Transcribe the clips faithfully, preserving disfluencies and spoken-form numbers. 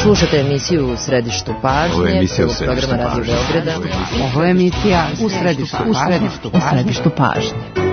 Slušate emisiju U središtu pažnje. Ovo je emisija U središtu programa Radio Beograda. Ovo je emisija U središtu pažnje. U središtu pažnje.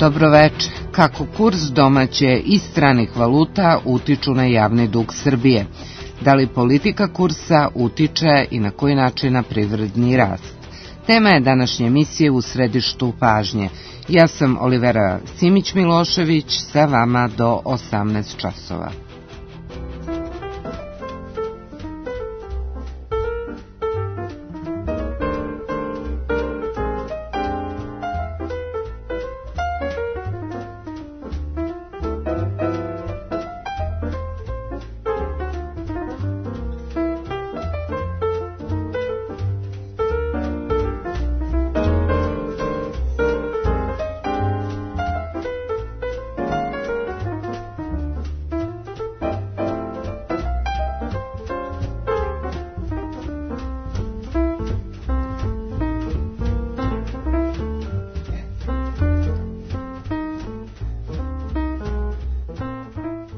Dobro večer. Kako kurs domaće i stranih valuta utiču na javni dug Srbije? Da li politika kursa utiče i na koji način na privredni rast? Tema je današnje emisije U središtu pažnje. Ja sam Olivera Simić-Milošević, sa vama do osamnaest časova.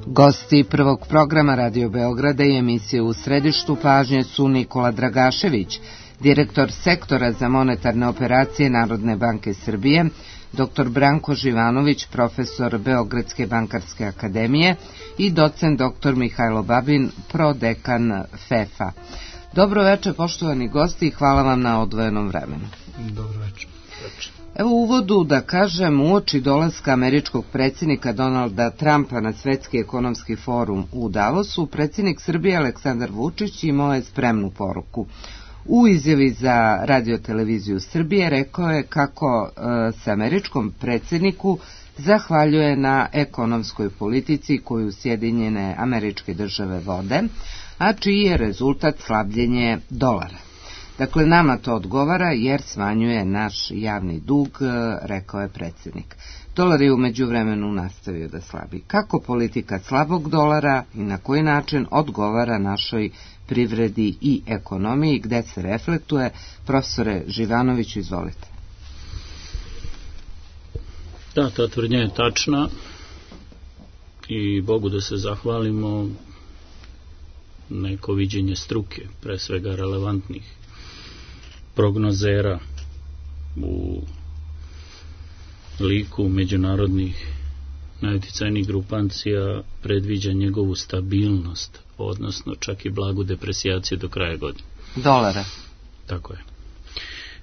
Gosti prvog programa Radio Beograda i emisije U središtu pažnje su Nikola Dragašević, direktor sektora za monetarne operacije Narodne banke Srbije, doktor Branko Živanović, profesor Beogradske bankarske akademije i docent doktor Mihajlo Babin, prodekan F E F-a. Dobro večer, poštovani gosti, i hvala vam na odvojenom vremenu. Dobro večer. večer. Evo u uvodu da kažem, uoči dolaska američkog predsjednika Donalda Trumpa na Svetski ekonomski forum u Davosu, predsjednik Srbije Aleksandar Vučić imao je spremnu poruku. U izjavi za Radio-televiziju Srbije rekao je kako e, se američkom predsjedniku zahvaljuje na ekonomskoj politici koju Sjedinjene Američke Države vode, a čiji je rezultat slabljenje dolara. Dakle, nama to odgovara jer smanjuje naš javni dug, rekao je predsjednik. Dolar je u međuvremenu nastavio da slabi. Kako politika slabog dolara i na koji način odgovara našoj privredi i ekonomiji, gde se reflektuje? Profesore Živanoviću, izvolite. Da, ta tvrdnja je tačna i Bogu da se zahvalimo, neko viđenje struke, pre svega relevantnih prognozera u liku međunarodnih najuticajnijih grupacija predviđa njegovu stabilnost, odnosno čak i blagu depresijaciju do kraja godine. Dolara. Tako je.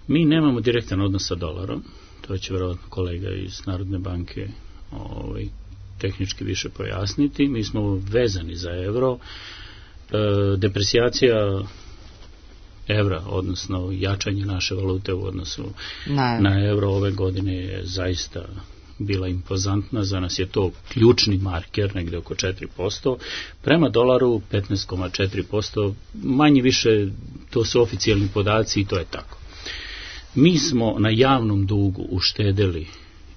Mi nemamo direktan odnos sa dolarom, to će vjerojatno kolega iz Narodne banke ovaj, tehnički više pojasniti. Mi smo vezani za evro. E, depresijacija evra, odnosno jačanje naše valute u odnosu na, na evro ove godine je zaista bila impozantna. Za nas je to ključni marker, negde oko četiri posto. Prema dolaru petnaest zarez četiri posto, manje više to su oficijalni podaci i to je tako. Mi smo na javnom dugu uštedeli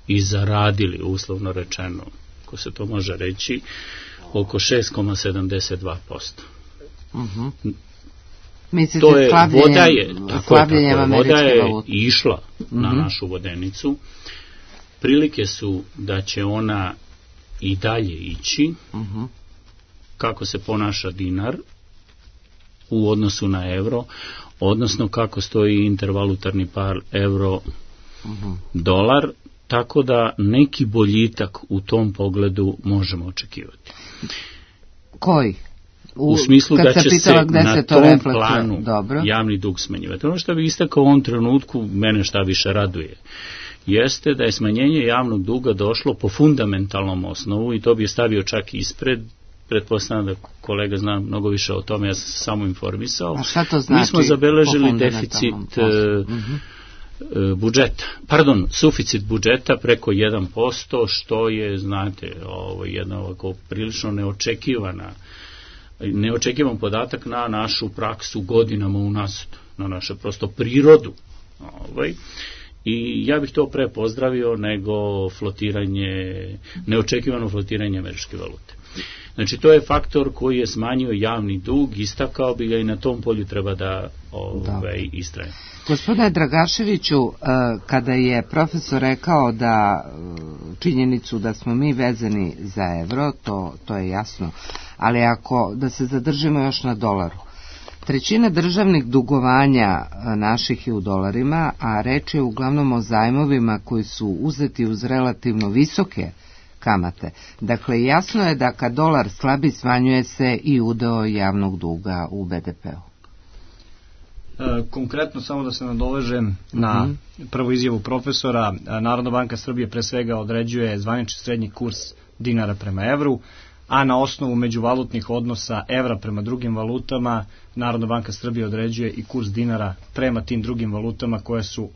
i zaradili, uslovno rečeno, ako se to može reći, oko šest zarez sedamdeset dva posto. Mhm. Mislite, to je, voda je, tako je, tako je, voda je išla mm-hmm. na našu vodenicu. Prilike su da će ona i dalje ići. Mm-hmm. Kako se ponaša dinar u odnosu na evro, odnosno kako stoji intervalutarni par euro mm-hmm. dolar, tako da neki boljitak u tom pogledu možemo očekivati. Koji? U, u smislu da će se na se tom reflektuje. planu Dobro. javni dug smanjivati. Ono što bih istakao u ovom trenutku, mene šta više raduje, jeste da je smanjenje javnog duga došlo po fundamentalnom osnovu i to bi je stavio čak ispred, pretpostavljam da kolega zna mnogo više o tome, ja sam se samo informisao. A šta to znači? Mi smo zabeležili deficit uh-huh. budžeta, pardon, suficit budžeta preko jedan posto, što je, znate, ovo, jedna ovako prilično neočekivana neočekivan podatak na našu praksu godinama unazad, na našu prosto prirodu. Ovaj. I ja bih to pre pozdravio nego flotiranje, neočekivano flotiranje američke valute. Znači, to je faktor koji je smanjio javni dug, istakao bi ga i na tom polju treba da ovaj, istraje. Gospodine Dragaševiću, kada je profesor rekao da činjenicu da smo mi vezani za evro, to, to je jasno, ali ako da se zadržimo još na dolaru, trećina državnih dugovanja naših je u dolarima, a reč je uglavnom o zajmovima koji su uzeti uz relativno visoke kamate. Dakle, jasno je da kad dolar slabi, smanjuje se i udeo javnog duga u be de peu. E, konkretno, samo da se nadovežem na mm-hmm. prvu izjavu profesora, Narodna banka Srbije pre svega određuje zvanični srednji kurs dinara prema evru, a na osnovu međuvalutnih odnosa evra prema drugim valutama Narodna banka Srbije određuje i kurs dinara prema tim drugim valutama koje su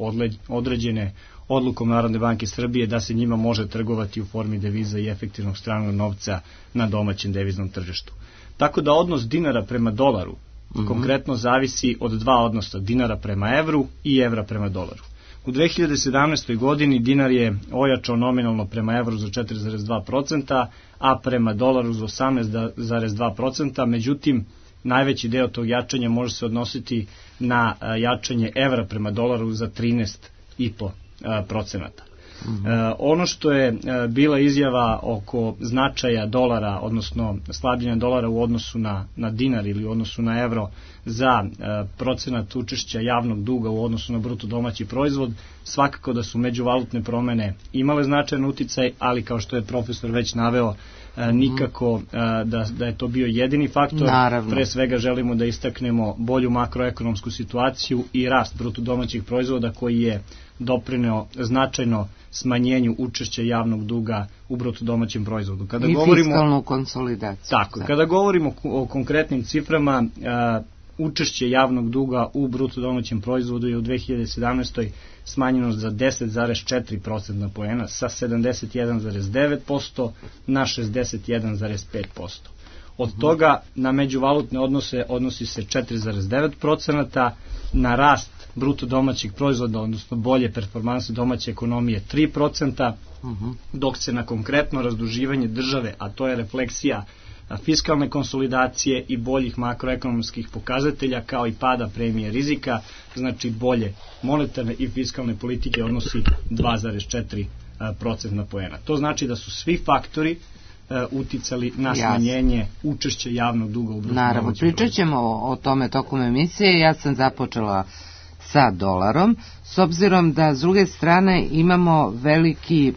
određene odlukom Narodne banke Srbije da se njima može trgovati u formi deviza i efektivnog stranog novca na domaćem deviznom tržištu. Tako da odnos dinara prema dolaru mm-hmm. konkretno zavisi od dva odnosa, dinara prema evru i evra prema dolaru. U dve hiljade sedamnaestoj. godini dinar je ojačao nominalno prema evru za četiri zarez dva posto, a prema dolaru za osamnaest zarez dva posto, međutim, najveći deo tog jačanja može se odnositi na jačanje evra prema dolaru za trinaest zarez pet procenata. Mm-hmm. E, ono što je e, bila izjava oko značaja dolara, odnosno slabljenja dolara u odnosu na, na dinar ili u odnosu na evro za e, procenat učešća javnog duga u odnosu na bruto domaći proizvod, svakako da su međuvalutne promene imale značajan uticaj, ali kao što je profesor već naveo, e, nikako e, da, da je to bio jedini faktor. Naravno. Pre svega želimo da istaknemo bolju makroekonomsku situaciju i rast bruto domaćih proizvoda koji je doprineo značajno smanjenju učešća javnog duga u bruto domaćem proizvodu. Kada I govorimo, fiskalnu konsolidaciju. Tako, da. Kada govorimo o konkretnim ciframa, uh, učešće javnog duga u bruto domaćem proizvodu je u dve hiljade sedamnaestoj. smanjeno za deset zarez četiri procentna poena sa sedamdeset jedan zarez devet posto na šezdeset jedan zarez pet posto. Od uh-huh. toga na međuvalutne odnose odnosi se četiri zarez devet procenata, na rast bruto domaćih proizvoda, odnosno bolje performanse domaće ekonomije tri procenta, uh-huh. dok se na konkretno razduživanje države, a to je refleksija fiskalne konsolidacije i boljih makroekonomskih pokazatelja kao i pada premije rizika, znači bolje monetarne i fiskalne politike odnosi dva zarez četiri procentna poena. To znači da su svi faktori uticali na smanjenje učešća javnog duga u bruto domaćem proizvodu. Naravno, pričat ćemo o, o tome tokom emisije. Ja sam započela sa dolarom, s obzirom da s druge strane imamo veliki,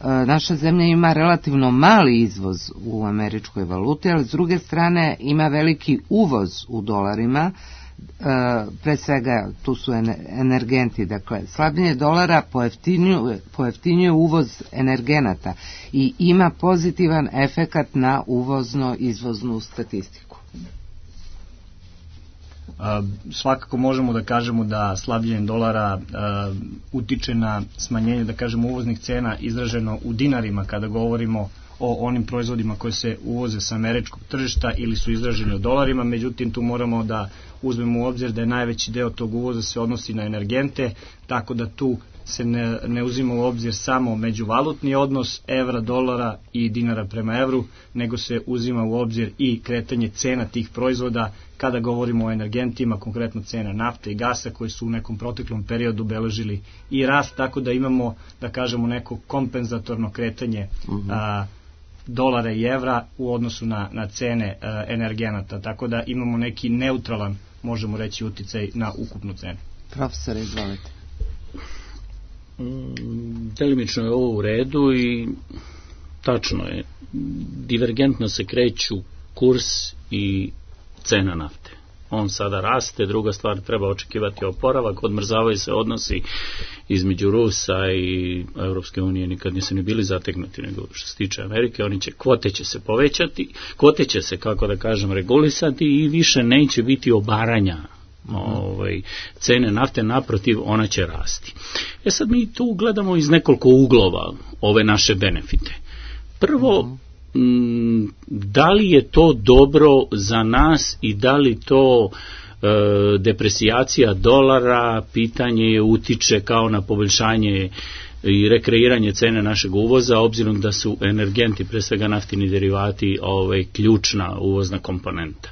naša zemlja ima relativno mali izvoz u američkoj valuti, ali s druge strane ima veliki uvoz u dolarima, pre svega tu su energenti, dakle slabljenje dolara pojeftinjuje, pojeftinjuje uvoz energenata i ima pozitivan efekat na uvozno-izvoznu statistiku. Uh, svakako možemo da kažemo da slabljenje dolara uh, utiče na smanjenje, da kažemo, uvoznih cena izraženo u dinarima kada govorimo o onim proizvodima koje se uvoze sa američkog tržišta ili su izraženi u dolarima, međutim tu moramo da uzmemo u obzir da je najveći deo tog uvoza se odnosi na energente, tako da tu se ne, ne uzima u obzir samo međuvalutni odnos evra, dolara i dinara prema evru, nego se uzima u obzir i kretanje cena tih proizvoda kada govorimo o energentima, konkretno cena nafte i gasa koji su u nekom proteklom periodu beležili i rast, tako da imamo, da kažemo, neko kompenzatorno kretanje uh-huh. a, dolara i evra u odnosu na, na cene a, energenata, tako da imamo neki neutralan, možemo reći, uticaj na ukupnu cenu. Profesor, izvolite. Delimično je ovo u redu i tačno je, divergentno se kreću kurs i cena nafte. On sada raste, druga stvar, treba očekivati oporavak, odmrzavaju se odnosi između Rusa i Europske unije, nikad nisu ni bili zategnuti, nego što se tiče Amerike, oni će, kvote će se povećati, kvote će se, kako da kažem, regulisati i više neće biti obaranja ovaj, cene nafte, naprotiv, ona će rasti. E sad mi tu gledamo iz nekoliko uglova ove naše benefite. Prvo, da li je to dobro za nas i da li to e, depresijacija dolara, pitanje je utiče kao na poboljšanje i rekreiranje cene našeg uvoza, obzirom da su energenti, pre svega naftini derivati, ovaj, ključna uvozna komponenta.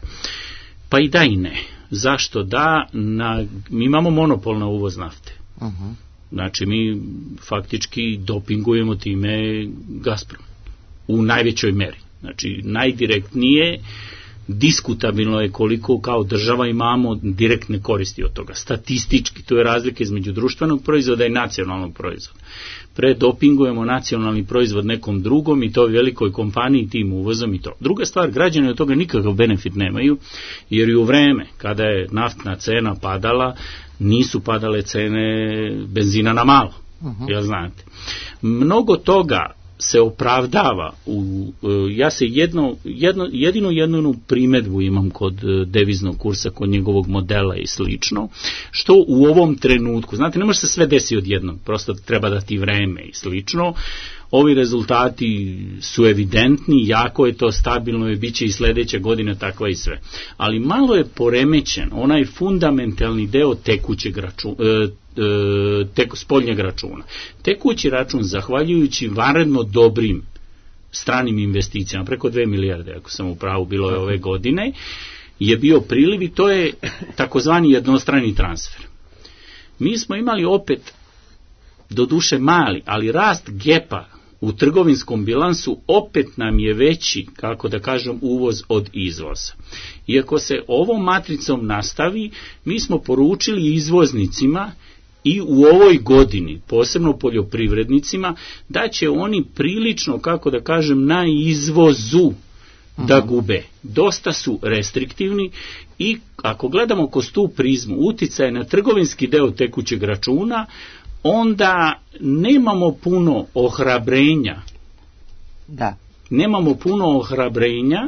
Pa i da i ne. Zašto da? Na, mi imamo monopol na uvoz nafte. Uh-huh. Znači mi faktički dopingujemo time Gazprom u najvećoj meri. Znači, najdirektnije, diskutabilno je koliko kao država imamo direktne koristi od toga. Statistički, to je razlika između društvenog proizvoda i nacionalnog proizvoda. Predopingujemo nacionalni proizvod nekom drugom i to velikoj kompaniji tim uvozom i to. Druga stvar, građani od toga nikakav benefit nemaju, jer i u vreme kada je naftna cena padala, nisu padale cene benzina na malo. Uh-huh. Ja znate. Mnogo toga se opravdava u, ja se jedno, jedno, jedino jednu primedbu imam kod deviznog kursa, kod njegovog modela i slično, što u ovom trenutku, znate, ne može se sve desiti odjednom, prosto treba dati vreme i slično. Ovi rezultati su evidentni, jako je to stabilno i bit će i sledeće godine takva i sve. Ali malo je poremećen onaj fundamentalni deo tekućeg računa, tek, spoljnjeg računa. Tekući račun, zahvaljujući vanredno dobrim stranim investicijama, preko dve milijarde, ako sam u pravu, bilo je ove godine, je bio priliv i to je takozvani jednostrani transfer. Mi smo imali opet, doduše mali, ali rast gepa u trgovinskom bilansu opet nam je veći, kako da kažem, uvoz od izvoza. Iako se ovom matricom nastavi, mi smo poručili izvoznicima i u ovoj godini, posebno poljoprivrednicima, da će oni prilično, kako da kažem, na izvozu da gube. Dosta su restriktivni i ako gledamo kroz tu prizmu uticaj na trgovinski deo tekućeg računa, onda nemamo puno ohrabrenja. Da. Nemamo puno ohrabrenja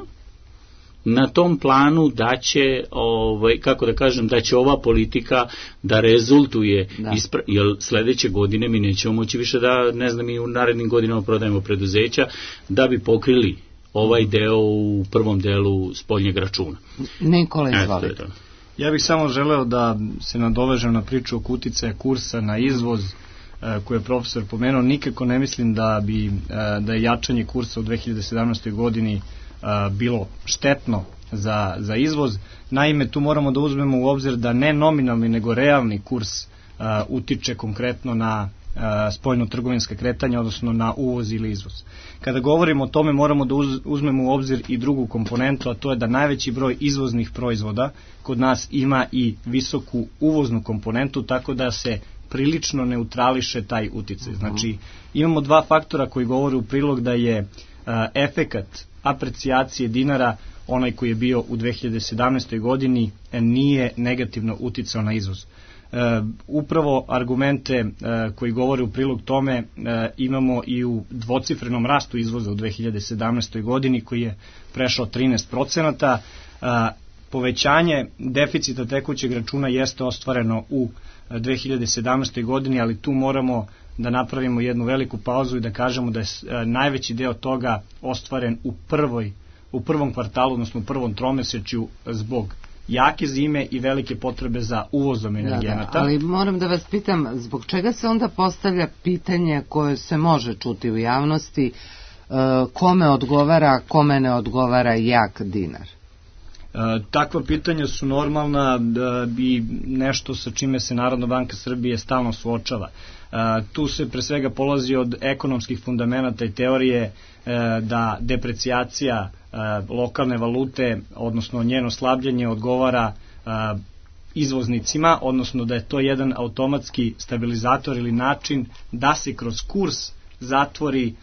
na tom planu da će, ovaj, kako da kažem, da će ova politika da rezultuje, da. Ispra- jer sledeće godine mi nećemo moći više da, ne znam, i u narednim godinama prodajemo preduzeća da bi pokrili ovaj deo u prvom delu spoljnjeg računa. Nikola, izvolite. Ja bih samo želeo da se nadovežem na priču oko uticaja kursa na izvoz koje je profesor pomenuo. Nikako ne mislim da bi da je jačanje kursa u dve hiljade sedamnaestoj godini bilo štetno za, za izvoz. Naime, tu moramo da uzmemo u obzir da ne nominalni nego realni kurs utiče konkretno na spoljno-trgovinska kretanja, odnosno na uvoz ili izvoz. Kada govorimo o tome, moramo da uzmemo u obzir i drugu komponentu, a to je da najveći broj izvoznih proizvoda kod nas ima i visoku uvoznu komponentu, tako da se prilično neutrališe taj uticaj. Znači, imamo dva faktora koji govore u prilog da je efekat aprecijacije dinara, onaj koji je bio u dve hiljade sedamnaestoj godini, nije negativno uticao na izvoz. Uh, upravo argumente uh, koji govore u prilog tome uh, imamo i u dvocifrenom rastu izvoza u dve hiljade sedamnaestoj godini koji je prešao trinaest procenata. Uh, povećanje deficita tekućeg računa jeste ostvareno u dve hiljade sedamnaestoj godini, ali tu moramo da napravimo jednu veliku pauzu i da kažemo da je uh, najveći deo toga ostvaren u prvoj u prvom kvartalu, odnosno u prvom tromesečju zbog jake zime i velike potrebe za uvozom energenata. Da, da, ali moram da vas pitam, zbog čega se onda postavlja pitanje koje se može čuti u javnosti, kome odgovara, kome ne odgovara jak dinar? Takva pitanja su normalna i nešto sa čime se Narodna banka Srbije stalno suočava. Tu se pre svega polazi od ekonomskih fundamenata i teorije da deprecijacija lokalne valute, odnosno njeno slabljenje, odgovara izvoznicima, odnosno da je to jedan automatski stabilizator ili način da se kroz kurs zatvori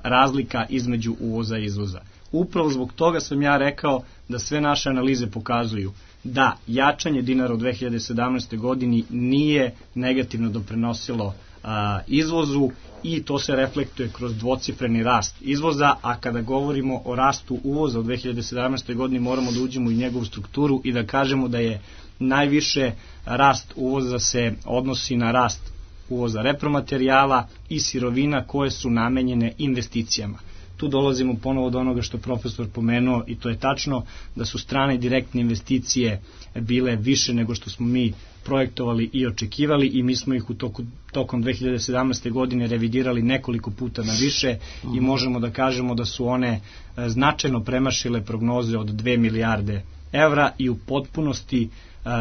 razlika između uvoza i izvoza. Upravo zbog toga sam ja rekao da sve naše analize pokazuju da jačanje dinara u dve hiljade sedamnaestoj godini nije negativno doprinosilo a, izvozu i to se reflektuje kroz dvocifreni rast izvoza, a kada govorimo o rastu uvoza u dve hiljade sedamnaestoj godini moramo da uđemo u njegovu strukturu i da kažemo da je najviše rast uvoza se odnosi na rast uvoza repromaterijala i sirovina koje su namenjene investicijama. Tu dolazimo ponovo do onoga što profesor pomenuo i to je tačno da su strane direktne investicije bile više nego što smo mi projektovali i očekivali i mi smo ih u toku, tokom dve hiljade sedamnaeste. godine revidirali nekoliko puta na više i možemo da kažemo da su one značajno premašile prognoze od dve milijarde evra i u potpunosti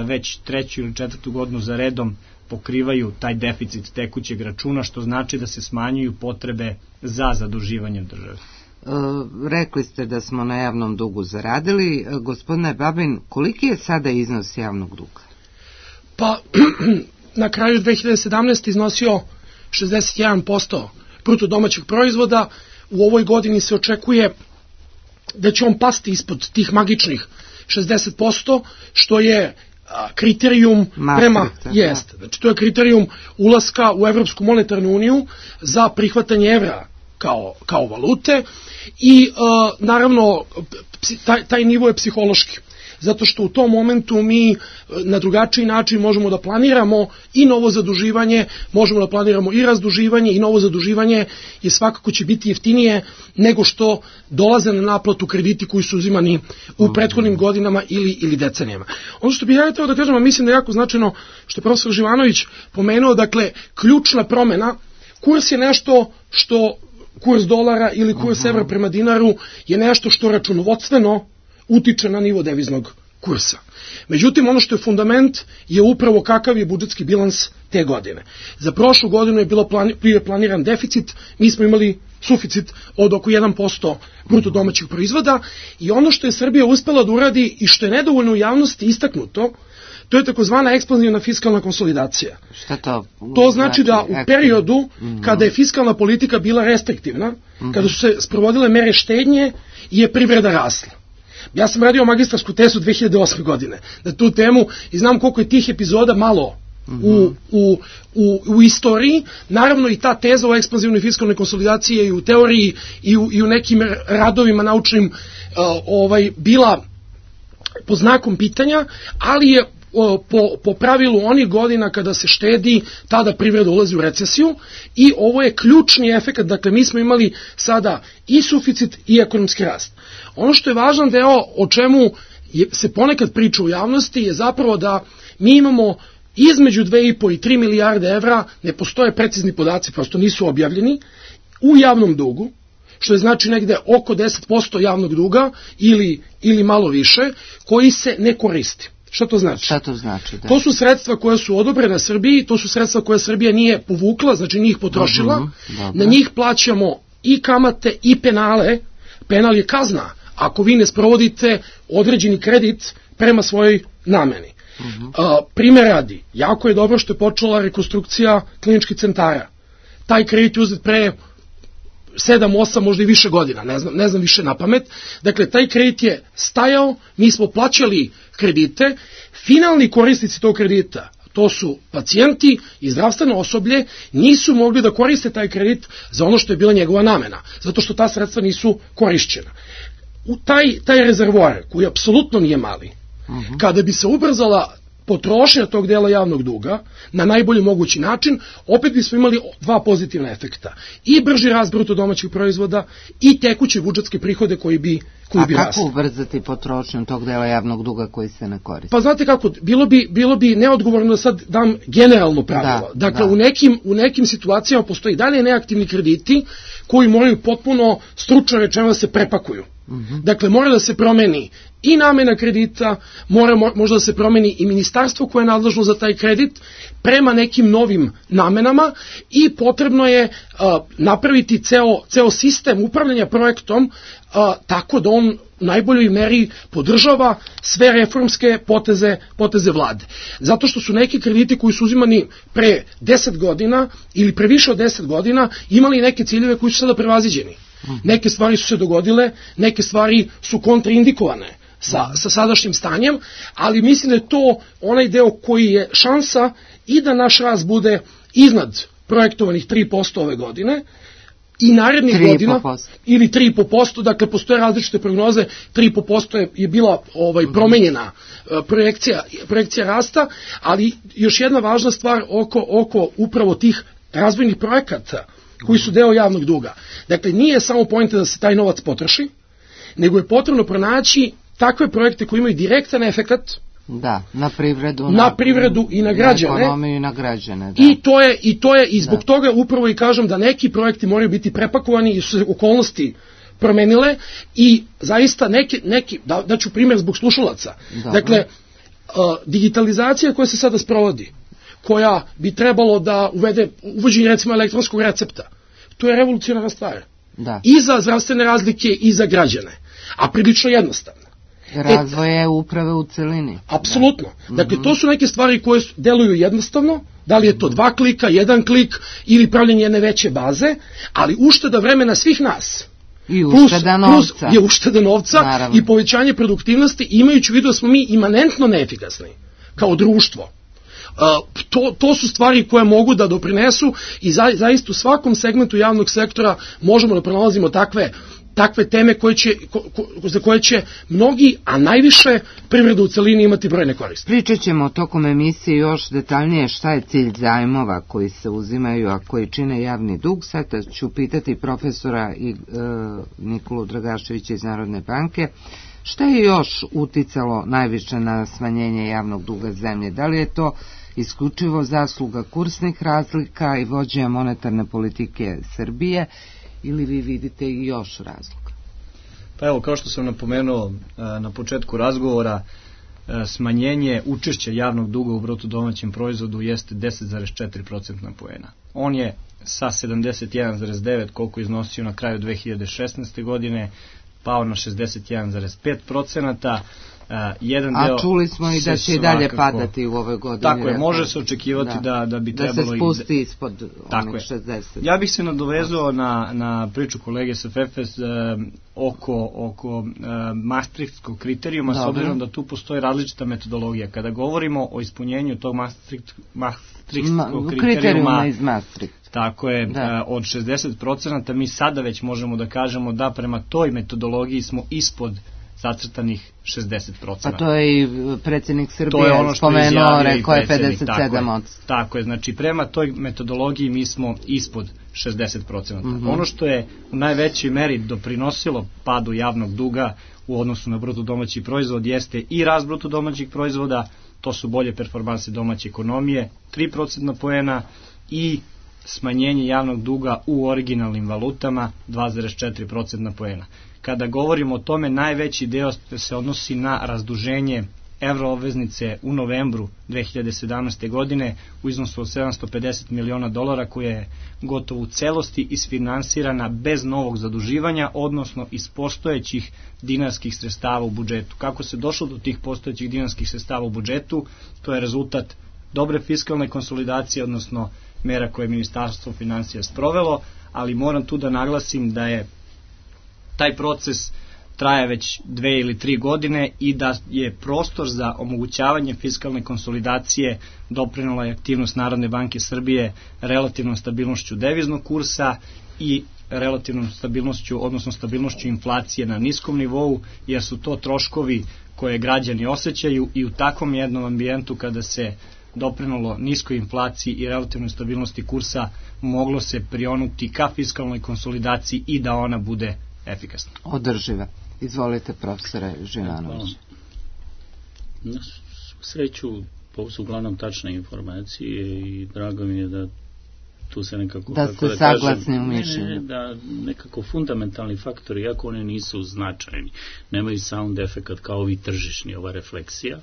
već treću ili četvrtu godinu za redom pokrivaju taj deficit tekućeg računa, što znači da se smanjuju potrebe za zaduživanjem države. E, rekli ste da smo na javnom dugu zaradili. E, gospodine Babin, koliki je sada iznos javnog duga? Pa, na kraju dve hiljade sedamnaeste. iznosio šezdeset jedan posto bruto domaćeg proizvoda. U ovoj godini se očekuje da će on pasti ispod tih magičnih šezdeset posto, što je kriterijum prema jest. Znači, to je kriterijum ulaska u Evropsku monetarnu uniju za prihvatanje evra kao, kao valute i uh, naravno taj, taj nivo je psihološki. Zato što u tom momentu mi na drugačiji način možemo da planiramo i novo zaduživanje, možemo da planiramo i razduživanje i novo zaduživanje je svakako će biti jeftinije nego što dolaze na naplatu krediti koji su uzimani u prethodnim godinama ili, ili decenijama. Ono što bih ja hteo da kažem, a mislim da je jako značajno što je profesor Živanović pomenuo, dakle, ključna promena, kurs je nešto što, kurs dolara ili kurs evra prema dinaru je nešto što računovodstveno utiče na nivo deviznog kursa. Međutim, ono što je fundament je upravo kakav je budžetski bilans te godine. Za prošlu godinu je bilo plani, planiran deficit, mi smo imali suficit od oko jedan posto bruto domaćeg proizvoda i ono što je Srbija uspela da uradi i što je nedovoljno u javnosti istaknuto, to je takozvana ekspanzivna fiskalna konsolidacija. Šta to? To znači da u periodu kada je fiskalna politika bila restriktivna, kada su se sprovodile mere štednje, je privreda rasla. Ja sam radio magistarsku tezu dve hiljade osme. godine na tu temu i znam koliko je tih epizoda malo u, u, u, u istoriji. Naravno i ta teza o ekspanzivnoj fiskalnoj konsolidaciji je i u teoriji i u, i u nekim radovima naučnim uh, ovaj, bila pod znakom pitanja, ali je Po, po pravilu onih godina kada se štedi, tada privreda ulazi u recesiju i ovo je ključni efekat, dakle mi smo imali sada i suficit i ekonomski rast. Ono što je važan deo o čemu je, se ponekad priča u javnosti je zapravo da mi imamo između dve i po i tri milijarde evra, ne postoje precizni podaci, prosto nisu objavljeni, u javnom dugu, što je znači negde oko deset posto javnog duga ili, ili malo više, koji se ne koristi. Šta to znači? Šta to znači, da. To su sredstva koja su odobrena Srbiji, to su sredstva koje Srbija nije povukla, znači nije ih potrošila, uh-huh, na njih plaćamo i kamate i penale, penal je kazna ako vi ne sprovodite određeni kredit prema svojoj nameni. Uh-huh. Uh, primjer radi, jako je dobro što je počela rekonstrukcija kliničkih centara. Taj kredit je uzet pre sedam, osam, možda i više godina, ne znam, ne znam više na pamet. Dakle, taj kredit je stajao, mi smo plaćali kredite, finalni korisnici tog kredita, to su pacijenti i zdravstveno osoblje, nisu mogli da koriste taj kredit za ono što je bila njegova namena, zato što ta sredstva nisu korišćena. U taj, taj rezervoar, koji apsolutno nije mali, uh-huh. kada bi se ubrzala potrošnja tog dela javnog duga na najbolji mogući način, opet bismo imali dva pozitivna efekta. I brži rast bruto domaćeg proizvoda i tekuće budžetske prihode koji bi koji bi rasli. A rasli. kako ubrzati potrošnju tog dela javnog duga koji se ne koristi? Pa znate kako, bilo bi, bilo bi neodgovorno da sad dam generalno pravilo. Da, dakle, da. U, nekim, u nekim situacijama postoji dalje neaktivni krediti koji moraju potpuno stručno rečeno da se prepakuju. Mm-hmm. Dakle, mora da se promeni i namena kredita, mora možda da se promeni i ministarstvo koje je nadležno za taj kredit prema nekim novim namenama i potrebno je a, napraviti ceo, ceo sistem upravljanja projektom a, tako da on u najboljoj meri podržava sve reformske poteze, poteze vlade. Zato što su neki krediti koji su uzimani pre deset godina ili pre više od deset godina imali neke ciljeve koji su sada prevaziđeni. Neke stvari su se dogodile, neke stvari su kontraindikovane sa, sa sadašnjim stanjem, ali mislim da je to onaj deo koji je šansa i da naš rast bude iznad projektovanih tri posto ove godine i narednih godina, ili tri i po posto, dakle postoje različite prognoze, tri i po posto je, je bila ovaj, promenjena uh, projekcija, projekcija rasta, ali još jedna važna stvar oko, oko upravo tih razvojnih projekata koji su deo javnog duga. Dakle, nije samo poenta da se taj novac potroši, nego je potrebno pronaći takve projekte koji imaju direktan efekat da, na privredu, na, na privredu i na građane. Na ekonomiju i na građane, da. I to je, i to je, i zbog da. toga upravo i kažem da neki projekti moraju biti prepakovani i su se okolnosti promenile i zaista neki, neki da, daću primjer zbog slušalaca. Da. Dakle, uh, digitalizacija koja se sada sprovodi, koja bi trebalo da uvede uvođenje recimo elektronskog recepta. To je revolucionarna stvar. Da. I za zdravstvene razlike i za građane. A prilično jednostavno. Razvoje e, uprave u celini. Apsolutno. Da. Dakle, to su neke stvari koje deluju jednostavno, da li je to dva klika, jedan klik ili pravljenje jedne veće baze, ali ušteda vremena svih nas. I ušteda novca. Plus je ušteda novca. Naravno. I povećanje produktivnosti, imajući u vidu da smo mi imanentno neefikasni kao društvo. Uh, to, to su stvari koje mogu da doprinesu i za, zaista u svakom segmentu javnog sektora možemo da pronalazimo takve, takve teme koje će, ko, ko, za koje će mnogi, a najviše privreda u celini imati brojne koristi. Pričat ćemo tokom emisije još detaljnije šta je cilj zajmova koji se uzimaju, a koji čine javni dug. Sad ću pitati profesora i, e, Nikolu Dragaševića iz Narodne banke. Šta je još uticalo najviše na smanjenje javnog duga zemlje? Da li je to isključivo zasluga kursnih razlika i vođenja monetarne politike Srbije ili vi vidite i još razloga? Pa evo, kao što sam napomenuo na početku razgovora, smanjenje učešća javnog duga u bruto domaćem proizvodu jeste deset zarez četiri procentna poena. On je sa sedamdeset jedan zarez devet koliko iznosio na kraju dve hiljade šesnaeste. godine pao na šezdeset jedan zarez pet procenata. Uh, jedan A čuli smo i da će i dalje svakako padati u ovoj godini. Tako je, može se očekivati da, da, da bi da trebalo... Da se spusti ispod onih šezdeset. Ja bih se nadovezao na, na priču kolege sa Fefes uh, oko, oko uh, Maastrichtskog kriterijuma, Dobre. S obzirom da tu postoji različita metodologija. Kada govorimo o ispunjenju tog Maastricht, Maastrichtskog kriterijuma, kriterijuma iz Maastricht. Tako je, da. Od šezdeset procenata mi sada već možemo da kažemo da prema toj metodologiji smo ispod zacrtanih šezdeset procenata. Pa to je i predsjednik Srbije ono spomenuo, rekao je pedeset sedam odsto. Tako, tako je, znači prema toj metodologiji mi smo ispod šezdeset procenata. Mm-hmm. Ono što je u najvećoj meri doprinosilo padu javnog duga u odnosu na bruto domaći proizvod jeste i rast bruto domaćih proizvoda, to su bolje performanse domaće ekonomije, tri procentna poena i smanjenje javnog duga u originalnim valutama dva zarez četiri procentna poena. Kada govorimo o tome, najveći deo se odnosi na razduženje evroobveznice u novembru dve hiljade sedamnaeste. godine u iznosu od sedamsto pedeset miliona dolara, koja je gotovo u celosti isfinansirana bez novog zaduživanja, odnosno iz postojećih dinarskih sredstava u budžetu. Kako se došlo do tih postojećih dinarskih sredstava u budžetu? To je rezultat dobre fiskalne konsolidacije, odnosno mera koje je Ministarstvo finansija sprovelo, ali moram tu da naglasim da je taj proces traje već dve ili tri godine i da je prostor za omogućavanje fiskalne konsolidacije doprinela je aktivnost Narodne banke Srbije relativnom stabilnošću deviznog kursa i relativnom stabilnošću, odnosno stabilnošću inflacije na niskom nivou, jer su to troškovi koje građani osjećaju i u takvom jednom ambijentu kada se doprinalo niskoj inflaciji i relativnoj stabilnosti kursa, moglo se prionuti ka fiskalnoj konsolidaciji i da ona bude efikasna. Održiva. Izvolite, profesore Živanović. Na sreću, ovo su uglavnom tačne informacije i drago mi je da tu se nekako... Da ste da saglasni kažem, u mišljenju. Ne, ne, da nekako fundamentalni faktori, iako one nisu značajni, nemaju sound efekat kao ovi tržišni, ova refleksija,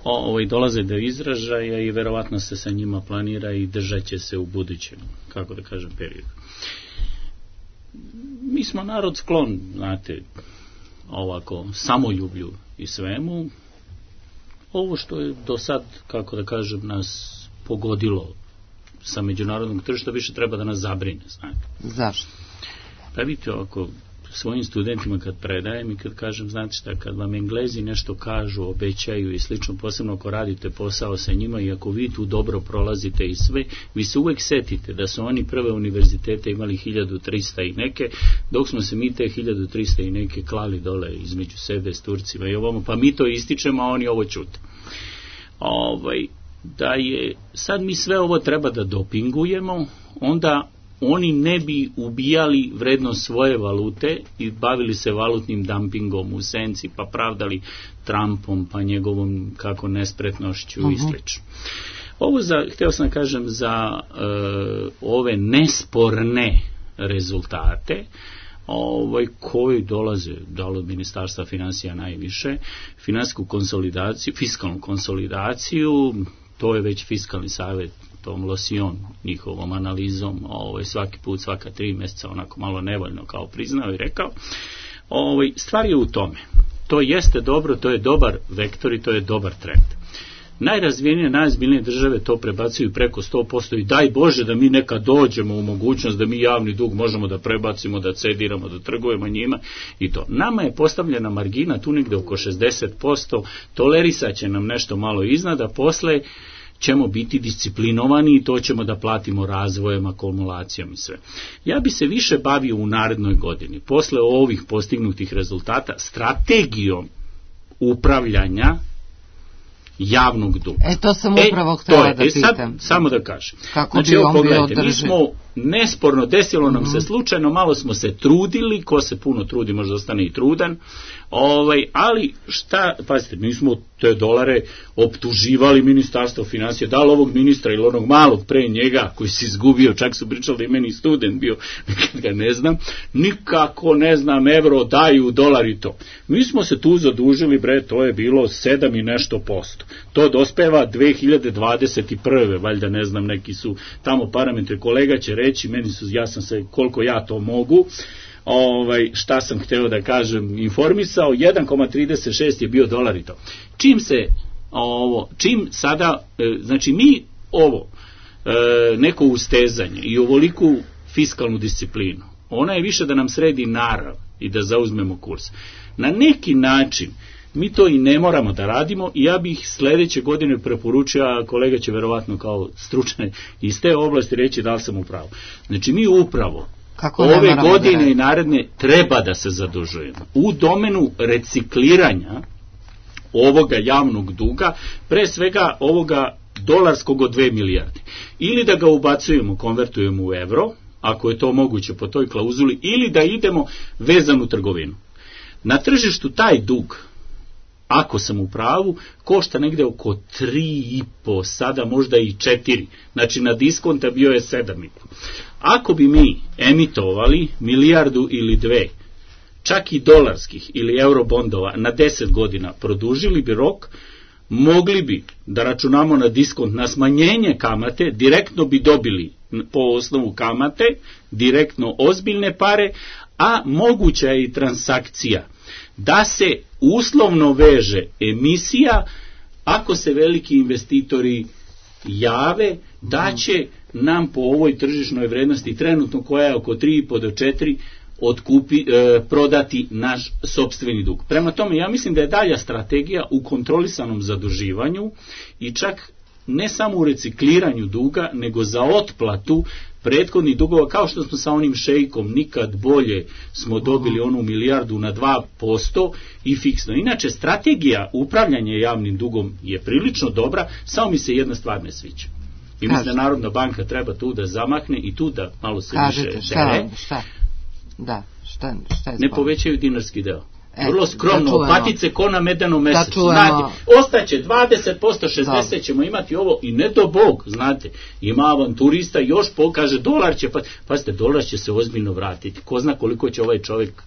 o, ovaj, dolaze do izražaja i verovatno se sa njima planira i držat će se u budućem, kako da kažem, periodu. Mi smo narod sklon, znate, ovako, samoljublju i svemu. Ovo što je do sad, kako da kažem, nas pogodilo sa međunarodnog tržišta, više treba da nas zabrine, znate. Zašto? Pa vidite, ovako, svojim studentima kad predajem i kad kažem, znate šta, kad vam Englezi nešto kažu, obećaju i slično, posebno ako radite posao sa njima i ako vi tu dobro prolazite i sve, vi se uvek setite da su oni prve univerzitete imali hiljadu trista i neke, dok smo se mi te hiljadu trista i neke klali dole između sebe s Turcima i ovamo, pa mi to ističemo, a oni ovo čute. Ovaj, da je, sad mi sve ovo treba da dopingujemo, onda oni ne bi ubijali vrednost svoje valute i bavili se valutnim dumpingom u senci, pa pravdali Trumpom, pa njegovom kako nespretnošću uh-huh. i slično. Ovo za, hteo sam da kažem za uh, ove nesporne rezultate, ovaj, koji dolaze da od Ministarstva finansija najviše, finansijsku konsolidaciju, fiskalnu konsolidaciju, to je već fiskalni savjet tom Losion, njihovom analizom, ovaj, svaki put, svaka tri mjeseca, onako malo nevoljno kao priznao i rekao. Ovaj, stvar je u tome. To jeste dobro, to je dobar vektor i to je dobar trend. Najrazvijenije, najozbiljnije države to prebacuju preko sto posto i daj Bože da mi nekad dođemo u mogućnost da mi javni dug možemo da prebacimo, da cediramo, da trgujemo njima i to. Nama je postavljena margina tu negde oko šezdeset posto, tolerisat će nam nešto malo iznad, a posle ćemo biti disciplinovani i to ćemo da platimo razvojem, akumulacijom i sve. Ja bi se više bavio u narednoj godini, posle ovih postignutih rezultata, strategijom upravljanja javnog duga. E, to sam upravo e, htjela da e, sad, pitam. Samo da kažem. Kako znači, bi evo, on pogledajte, bio mi smo nesporno, desilo nam mm-hmm. se slučajno, malo smo se trudili, ko se puno trudi možda ostane i trudan, ovaj, ali šta, pazite, mi smo te dolare optuživali Ministarstvo finansija, da li ovog ministra ili onog malog pre njega, koji se izgubio, čak su pričali da je meni student bio, nekad ga ne znam, nikako ne znam, evro daju dolar i to. Mi smo se tu zadužili, bre, to je bilo sedam i nešto posto. To dospeva dve hiljade dvadeset prve. valjda ne znam, neki su tamo parametri, kolega će reći, meni su, ja sam se, koliko ja to mogu, ovaj, šta sam hteo da kažem, informisao, jedan zarez trideset šest je bio dolar i to. Čim se, ovo, čim sada, e, znači mi ovo, e, neko ustezanje i ovoliku fiskalnu disciplinu, ona je više da nam sredi narav i da zauzmemo kurs. Na neki način, mi to i ne moramo da radimo i ja bih sledeće godine preporučio, a kolega će verovatno kao stručnjak iz te oblasti reći da li sam upravo. Znači mi upravo Kako ove godine da i naredne treba da se zadužujemo u domenu recikliranja ovoga javnog duga, pre svega ovoga dolarskog od dve milijarde. Ili da ga ubacujemo, konvertujemo u evro, ako je to moguće po toj klauzuli, ili da idemo vezanu trgovinu. Na tržištu taj dug, ako sam u pravu, košta negde oko tri i po, sada možda i četiri. Znači na diskonta bio je sedam i po. Ako bi mi emitovali milijardu ili dve, čak i dolarskih ili eurobondova na deset godina, produžili bi rok, mogli bi da računamo na diskont, na smanjenje kamate, direktno bi dobili po osnovu kamate, direktno ozbiljne pare, a moguća je i transakcija da se uslovno veže emisija, ako se veliki investitori jave, da će nam po ovoj tržišnoj vrednosti, trenutno koja je oko tri i po do četiri, otkupi, e, prodati naš sopstveni dug. Prema tome, ja mislim da je dalja strategija u kontrolisanom zaduživanju i čak ne samo u recikliranju duga, nego za otplatu prethodnih dugova, kao što smo sa onim šejkom nikad bolje smo dobili onu milijardu na dva posto i fiksno. Inače, strategija upravljanja javnim dugom je prilično dobra, samo mi se jedna stvar ne sviđa. I mislim da Narodna banka treba tu da zamahne i tu da malo se Kažete, više šta, dere. Šta? Da, šta, šta je ne povećaju dinarski deo. Vrlo skromno, da opatice ko na medenom mesecu. Da znate, ostaće dvadeset posto, šezdeset posto ćemo imati ovo i ne do Bog, znate. Ima avanturista, još pokaže, dolar će, pa, pazite, dolar će se ozbiljno vratiti. Ko zna koliko će ovaj čovjek.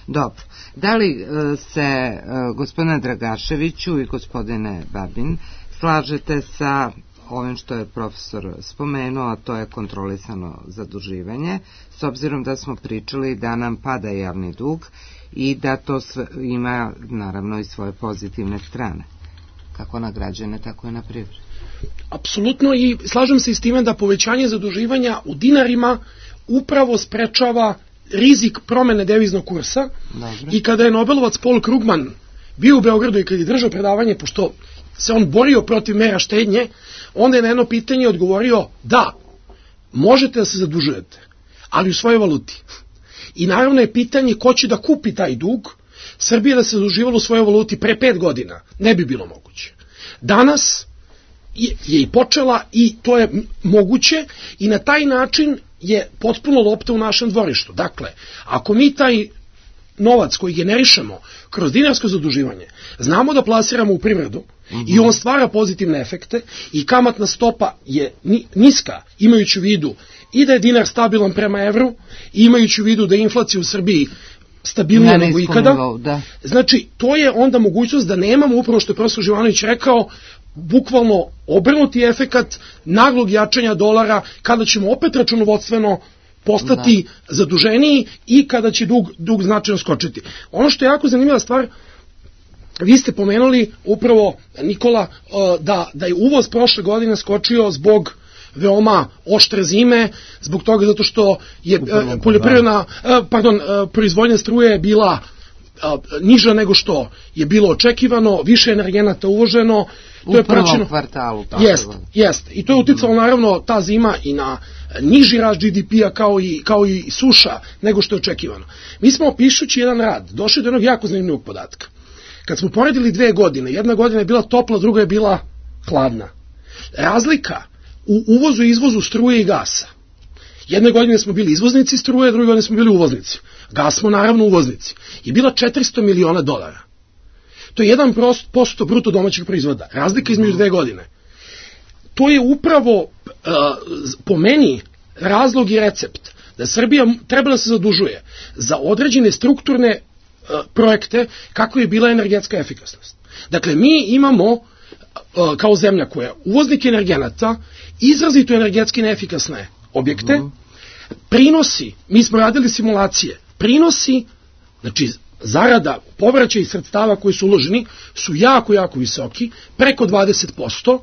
Dobro. Da li se, gospodine Dragaševiću i gospodine Babin, slažete sa ovim što je profesor spomenuo, a to je kontrolisano zaduživanje, s obzirom da smo pričali da nam pada javni dug i da to sve ima naravno i svoje pozitivne strane, kako na građane, tako i na privredu? Apsolutno, i slažem se i s time da povećanje zaduživanja u dinarima upravo sprečava rizik promene deviznog kursa. Dobre. I kada je Nobelovac Paul Krugman bio u Beogradu i kada je držao predavanje, pošto se on borio protiv mera štednje, onda je na jedno pitanje odgovorio da, možete da se zadužujete, ali u svojoj valuti. I naravno je pitanje ko će da kupi taj dug. Srbija da se zaduživala u svojoj valuti pre pet godina ne bi bilo moguće. Danas je i počela i to je moguće i na taj način je potpuno lopta u našem dvorištu. Dakle, ako mi taj novac koji generišemo kroz dinarsko zaduživanje znamo da plasiramo u privredu, mm-hmm. i on stvara pozitivne efekte i kamatna stopa je niska, imajući u vidu i da je dinar stabilan prema evru, i imajući u vidu da je inflacija u Srbiji stabilnija nego ikada. Nivou, da. Znači, to je onda mogućnost da nemamo, upravo što je profesor Živanović rekao, bukvalno obrnuti efekat naglog jačanja dolara, kada ćemo opet računovodstveno postati da. zaduženiji i kada će dug, dug značajno skočiti. Ono što je jako zanimljiva stvar, vi ste pomenuli upravo, Nikola, da, da je uvoz prošle godine skočio zbog veoma oštre zime, zbog toga zato što je poljoprivredna, pardon, proizvodnja struje je bila niža nego što je bilo očekivano, više energenata uvoženo. U je prvom praćeno, kvartalu. Jest, jest. I to je uticalo naravno ta zima i na niži rast G D P-a kao i, kao i suša nego što je očekivano. Mi smo, pišući jedan rad, došli do jednog jako zanimljivog podatka. Kad smo poredili dve godine, jedna godina je bila topla, druga je bila hladna. Razlika u uvozu i izvozu struje i gasa. Jedne godine smo bili izvoznici struje, druge godine smo bili uvoznici. Gas smo naravno uvoznici. Je bila četiristo miliona dolara. To je jedan posto bruto domaćeg proizvoda. Razlika između dve godine. To je upravo uh, po meni razlog i recept da Srbija treba da se zadužuje za određene strukturne uh, projekte kako je bila energetska efikasnost. Dakle, mi imamo uh, kao zemlja koja je uvoznik energenata izrazito energetski neefikasne objekte, mm. prinosi, mi smo radili simulacije, prinosi, znači zarada, povraćaj sredstava koji su uloženi su jako, jako visoki, preko dvadeset posto,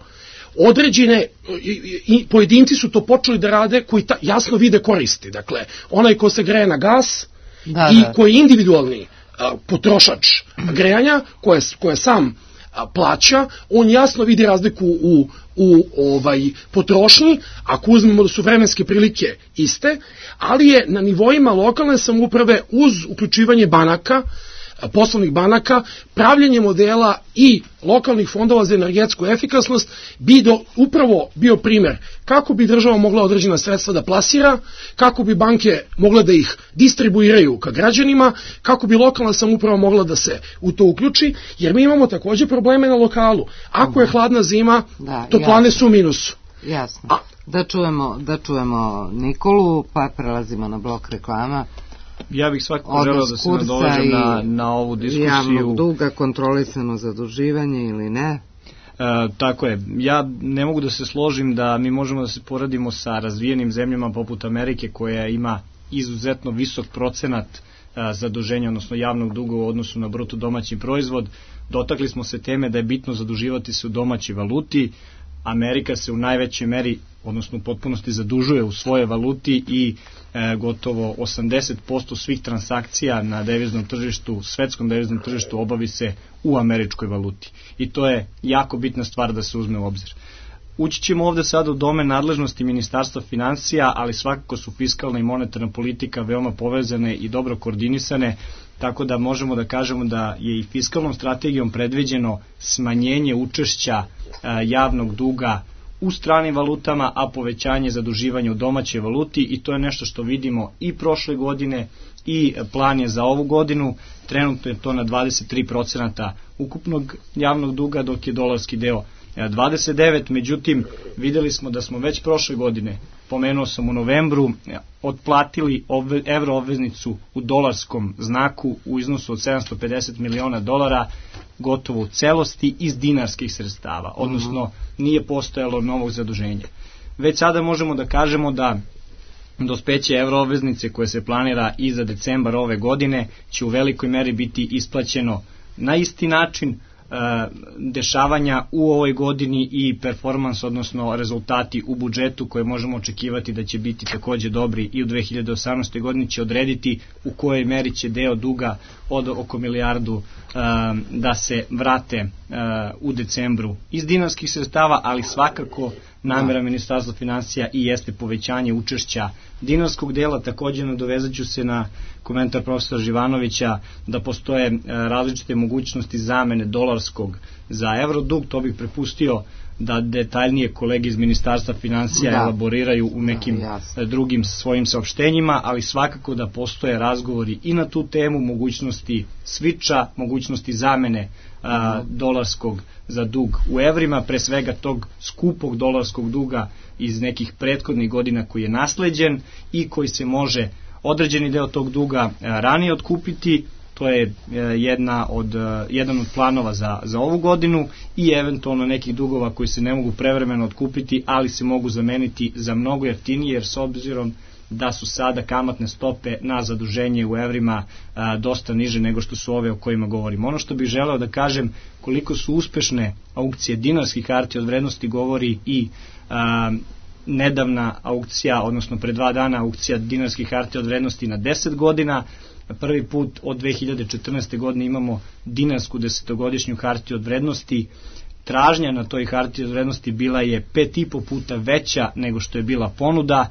određene, i, i pojedinci su to počeli da rade koji ta, jasno vide koristi, dakle, onaj ko se greje na gas da, i da. koji je individualni a, potrošač grejanja, koje, koje sam a, plaća, on jasno vidi razliku u, u ovaj, potrošnji, ako uzmemo da su vremenske prilike iste, ali je na nivoima lokalne samouprave uz uključivanje banaka, poslovnih banaka, pravljenje modela i lokalnih fondova za energetsku efikasnost bi do, upravo bio primjer kako bi država mogla određena sredstva da plasira, kako bi banke mogle da ih distribuiraju ka građanima, kako bi lokalna samouprava mogla da se u to uključi, jer mi imamo također probleme na lokalu. Ako je hladna zima, da, toplane su u minusu. Jasno. A, da čujemo, da čujemo Nikolu, pa prelazimo na blok reklama. Ja bih svakako želeo da se nadovežem na, na ovu diskusiju. Javnog duga, kontrolisano zaduživanje ili ne? E, tako je. Ja ne mogu da se složim da mi možemo da se poradimo sa razvijenim zemljama poput Amerike koja ima izuzetno visok procenat a, zaduženja, odnosno javnog duga u odnosu na bruto domaći proizvod. Dotakli smo se teme da je bitno zaduživati se u domaćoj valuti. Amerika se u najvećoj meri, odnosno u potpunosti zadužuje u svoje valuti i e, gotovo osamdeset posto svih transakcija na deviznom tržištu, svetskom deviznom tržištu obavi se u američkoj valuti. I to je jako bitna stvar da se uzme u obzir. Ući ćemo ovde sada u domen nadležnosti Ministarstva finansija, ali svakako su fiskalna i monetarna politika veoma povezane i dobro koordinisane, tako da možemo da kažemo da je i fiskalnom strategijom predviđeno smanjenje učešća a, javnog duga u stranim valutama, a povećanje zaduživanja u domaćoj valuti, i to je nešto što vidimo i prošle godine i plan je za ovu godinu, trenutno je to na dvadeset tri procenta ukupnog javnog duga, dok je dolarski deo dvadeset devet, međutim videli smo da smo već prošle godine, pomenuo sam u novembru, otplatili obve, evro obveznicu u dolarskom znaku u iznosu od sedamsto pedeset miliona dolara, gotovo u celosti iz dinarskih sredstava, odnosno nije postojalo novog zaduženja. Već sada možemo da kažemo da dospeće evroobveznice koje se planira i za decembar ove godine će u velikoj meri biti isplaćeno na isti način. Dešavanja u ovoj godini i performans, odnosno rezultati u budžetu koje možemo očekivati da će biti takođe dobri i u dve hiljade osamnaestoj godini će odrediti u kojoj meri će deo duga od oko milijardu da se vrate u decembru iz dinarskih sredstava, ali svakako namera Ministarstva finansija i jeste povećanje učešća dinarskog dela. Takođe nadovezat ću se na komentar profesora Živanovića da postoje različite mogućnosti zamene dolarskog za evrodug. To bih prepustio da detaljnije kolege iz Ministarstva finansija da. elaboriraju u nekim da, drugim svojim saopštenjima, ali svakako da postoje razgovori i na tu temu, mogućnosti sviča, mogućnosti zamene a, dolarskog za dug u evrima, pre svega tog skupog dolarskog duga iz nekih prethodnih godina koji je nasleđen i koji se može određeni deo tog duga ranije otkupiti. To je jedna od, jedan od planova za, za ovu godinu i eventualno nekih dugova koji se ne mogu prevremeno otkupiti, ali se mogu zameniti za mnogo jeftinije, jer s obzirom da su sada kamatne stope na zaduženje u evrima a, dosta niže nego što su ove o kojima govorimo. Ono što bih želeo da kažem, koliko su uspešne aukcije dinarskih hartija od vrednosti govori i a, nedavna aukcija, odnosno pre dva dana aukcija dinarskih hartija od vrednosti na deset godina. Prvi put od dve hiljade četrnaeste. godine imamo dinarsku desetogodišnju hartiju od vrednosti. Tražnja na toj hartiji od vrednosti bila je pet i po puta veća nego što je bila ponuda,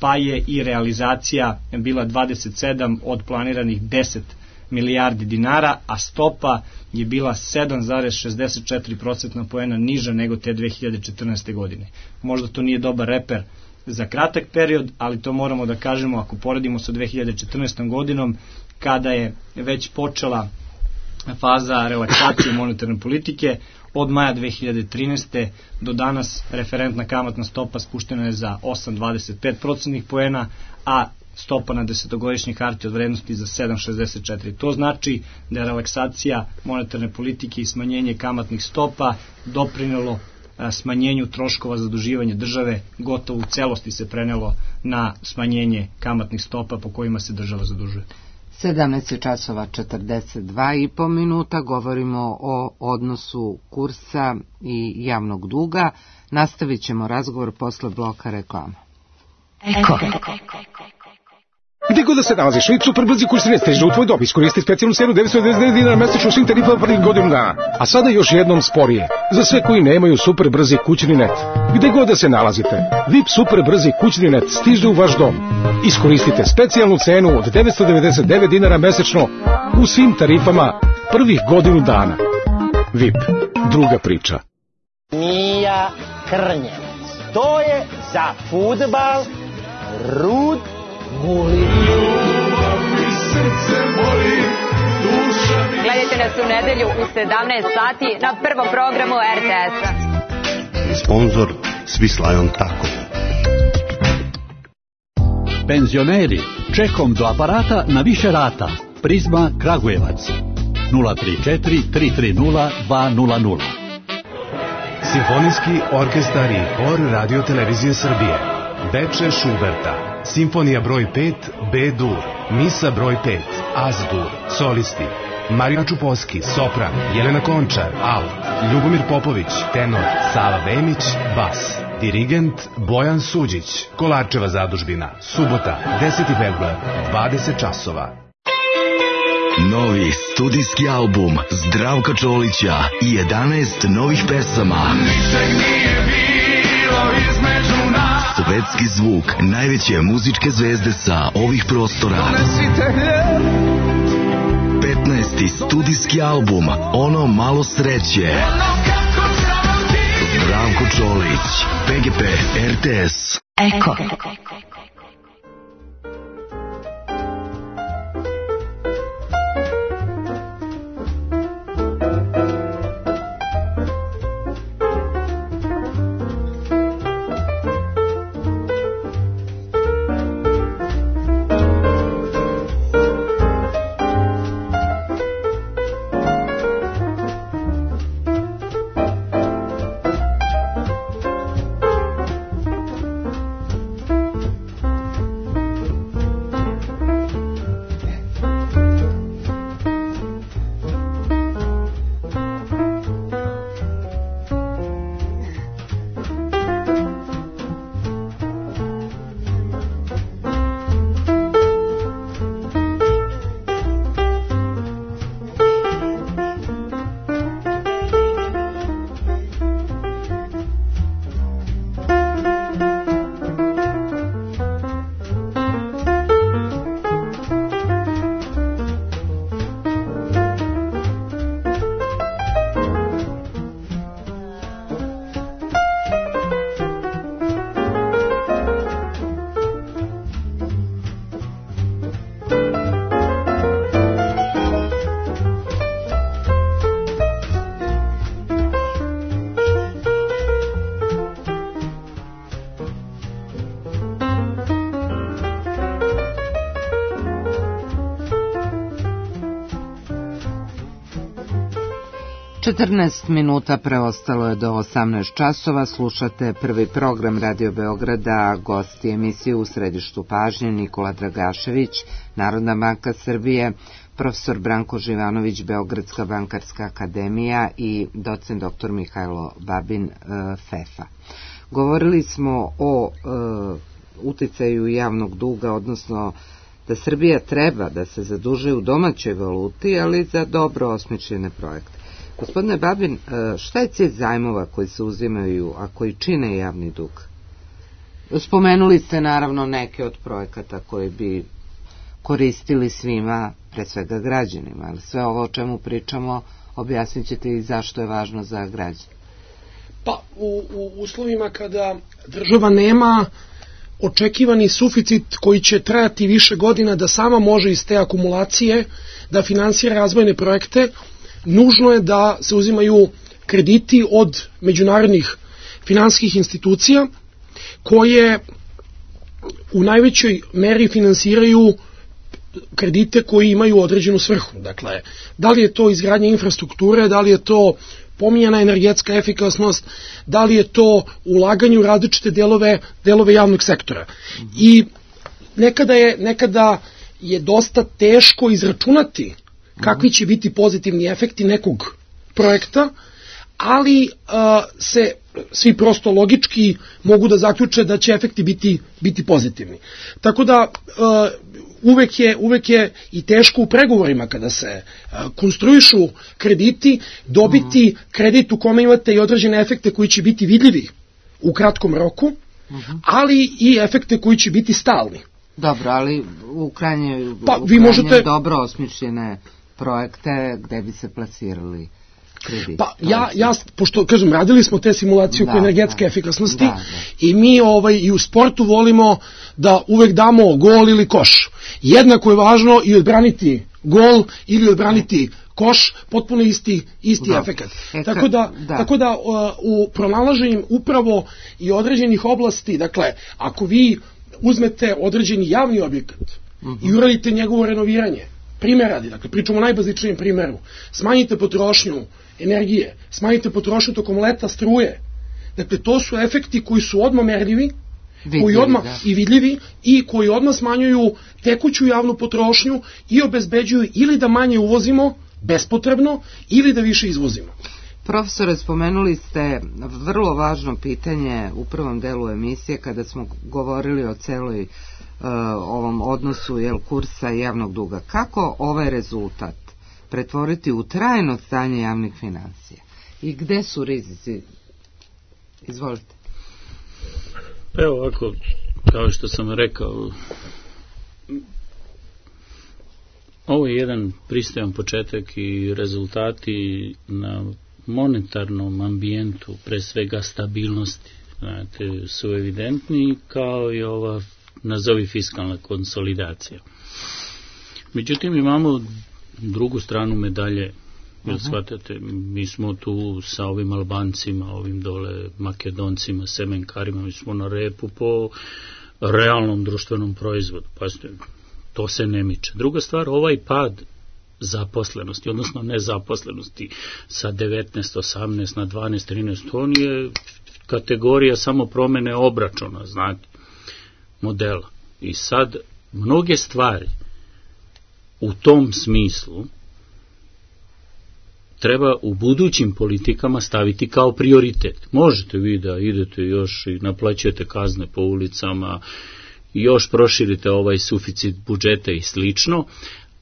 pa je i realizacija bila dvadeset sedam od planiranih deset milijardi dinara, a stopa je bila sedam zarez šezdeset četiri procentna poena niža nego te dve hiljade četrnaeste. godine. Možda to nije dobar reper za kratak period, ali to moramo da kažemo ako poredimo sa dve hiljade četrnaestom. godinom, kada je već počela faza relaksacije monetarne politike. Od maja dve hiljade trinaeste. do danas referentna kamatna stopa spuštena je za osam zarez dvadeset pet procentnih poena, a stopa na desetogodišnje hartije od vrednosti za sedam zarez šezdeset četiri. To znači da je relaksacija monetarne politike i smanjenje kamatnih stopa doprinelo smanjenju troškova zaduživanja države, gotovo u celosti se prenelo na smanjenje kamatnih stopa po kojima se država zadužuje. sedamnaest časova četrdeset dva i po minuta, govorimo o odnosu kursa i javnog duga. Nastavit ćemo razgovor posle bloka reklama. Eko. Gde god da se nalaziš, Vip super brzi kurs ne stiže u tvoj dom. Iskoristi specijalnu seriju devetsto devedeset devet dinara mesečno svim tarifama prvih godinu dana. A sada još jednom sporije. Za sve koji nemaju super brzi kućni net. Gde god da se nalazite, Vip super brzi kućni net stiže u vaš dom. Iskoristite specijalnu cenu od devetsto devedeset devet dinara mesečno u svim tarifama prvih godinu dana. Vip, druga priča. Mija Krnjevac. To je za fudbal Rud Guli. Gledajte nas u nedelju u sedamnaest sati na prvom programu er te es-a. Sponzor Swiss Tako. Penzioneri, čekom do aparata na više rata. Prizma Kragujevac. nula tri četiri tri tri nula dva nula nula. Simfonijski orkestar i hor Radio Televizije Srbije. Beče Šuberta. Simfonija broj pet, B-dur. Misa broj pet, Az-dur. Solisti. Marija Čuposki, sopran. Jelena Končar, alt. Ljubomir Popović, tenor. Sava Vemić, bas. Dirigent Bojan Suđić. Kolarčeva zadužbina. Subota, deseti februar, dvadeset časova. Novi studijski album Zdravka Čolića i jedanaest novih pesama. Ničeg nije bilo između nas. Svetski zvuk najveće muzičke zvezde sa ovih prostora. petnaesti studijski album Ono malo sreće. Zdravko Čolić, P G P, er te es. Eko. četrnaest minuta preostalo je do osamnaest časova, slušate prvi program Radio Beograda, gosti emisije u središtu pažnje Nikola Dragašević, Narodna banka Srbije, profesor Branko Živanović, Beogradska bankarska akademija i docent doktor Mihajlo Babin, FEFA. Govorili smo o e, uticaju javnog duga, odnosno da Srbija treba da se zadužuje u domaćoj valuti, ali za dobro osmišljene projekte. Gospodine Babin, šta je cilj zajmova koji se uzimaju, a koji čine javni dug? Spomenuli ste naravno neke od projekata koji bi koristili svima, pre svega građanima, ali sve ovo o čemu pričamo objasnit ćete i zašto je važno za građane. Pa, u, u uslovima kada država nema očekivani suficit koji će trajati više godina da sama može iz te akumulacije da finansira razvojne projekte, nužno je da se uzimaju krediti od međunarodnih finansijskih institucija koje u najvećoj meri finansiraju kredite koji imaju određenu svrhu. Dakle, da li je to izgradnja infrastrukture, da li je to pominjana energetska efikasnost, da li je to ulaganje u različite delove, delove javnog sektora. I nekada je, nekada je dosta teško izračunati kakvi će biti pozitivni efekti nekog projekta, ali a, se svi prosto logički mogu da zaključe da će efekti biti, biti pozitivni. Tako da a, uvek je, uvek je i teško u pregovorima kada se a, konstruišu krediti, dobiti uh-huh. kredit u kome imate i određene efekte koji će biti vidljivi u kratkom roku, uh-huh. ali i efekte koji će biti stalni. Dobro, ali u krajnje, pa, u vi krajnje možete dobro osmišljene projekte gde bi se plasirali krediti. Pa ja, ja, pošto kažem, radili smo te simulacije oko energetske da, efikasnosti da, da. i mi ovaj, i u sportu volimo da uvek damo gol ili koš. Jednako je važno i odbraniti gol ili odbraniti koš, potpuno isti, isti da. efekat. E, tako da, da. Tako da u pronalaženju upravo i određenih oblasti, dakle, ako vi uzmete određeni javni objekat uh-huh. i uradite njegovo renoviranje, primjer radi, dakle, pričamo o najbazičnijem primjeru, smanjite potrošnju energije, smanjite potrošnju tokom leta struje, dakle, to su efekti koji su odmah merljivi, vidljivi, koji odmah da. i vidljivi i koji odmah smanjuju tekuću javnu potrošnju i obezbeđuju ili da manje uvozimo bespotrebno ili da više izvozimo. Profesore, spomenuli ste vrlo važno pitanje u prvom delu emisije kada smo govorili o celoj uh, ovom odnosu jel, kursa javnog duga. Kako ovaj rezultat pretvoriti u trajno stanje javnih financija? I gde su rizici? Izvolite. Evo ovako, kao što sam rekao, ovo je jedan pristojan početak i rezultati na monetarnom ambijentu, pre svega stabilnosti, znate, su evidentni, kao i ova, nazovi, fiskalna konsolidacija. Međutim, imamo drugu stranu medalje, jer shvatate, mi smo tu sa ovim Albancima, ovim dole Makedoncima, Semenkarima, mi smo na repu po realnom društvenom proizvodu, pa to se ne miče. Druga stvar, ovaj pad zaposlenosti, odnosno nezaposlenosti sa devetnaest, osamnaest na dvanaest, trinaest, to nije kategorija samo promene obračuna, znate, modela. I sad, mnoge stvari u tom smislu treba u budućim politikama staviti kao prioritet. Možete vi da idete još i naplaćujete kazne po ulicama, još proširite ovaj suficit budžeta i slično,